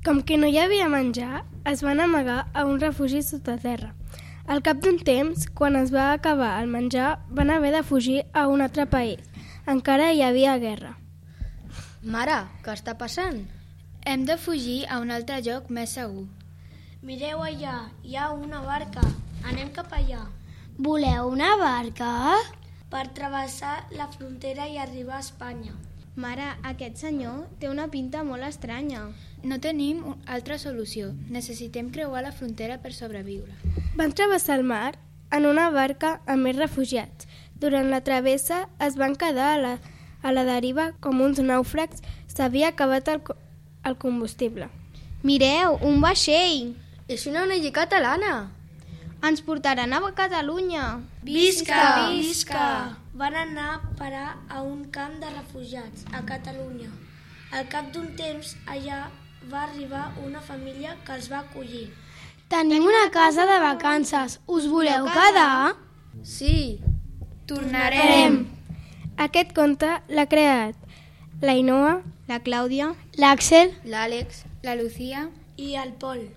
Com que no hi havia menjar, es van amagar a un refugi sota terra. Al cap d'un temps, quan es va acabar el menjar, van haver de fugir a un altre país. Encara hi havia guerra. Mare, què està passant? Hem de fugir a un altre lloc més segur. Mireu allà, hi ha una barca. Anem cap allà. Voleu una barca? Per travessar la frontera i arribar a Espanya. Mare, aquest senyor té una pinta molt estranya. No tenim altra solució. Necessitem creuar la frontera per sobreviure. Van travessar el mar en una barca amb més refugiats. Durant la travessa es van quedar a la deriva com uns nàufrags. S'havia acabat el combustible. Mireu, un vaixell! És una ONG catalana! Ens portaran a Catalunya! Visca! Visca! Van anar a parar a un camp de refugiats a Catalunya. Al cap d'un temps, allà va arribar una família que els va acollir. Tenim una casa de vacances. Us voleu quedar? Sí! Tornarem! Aquest conte l'ha creat l'Ainoa, La Clàudia, l'Àxel, L'Àlex, La Lucía I el Pol.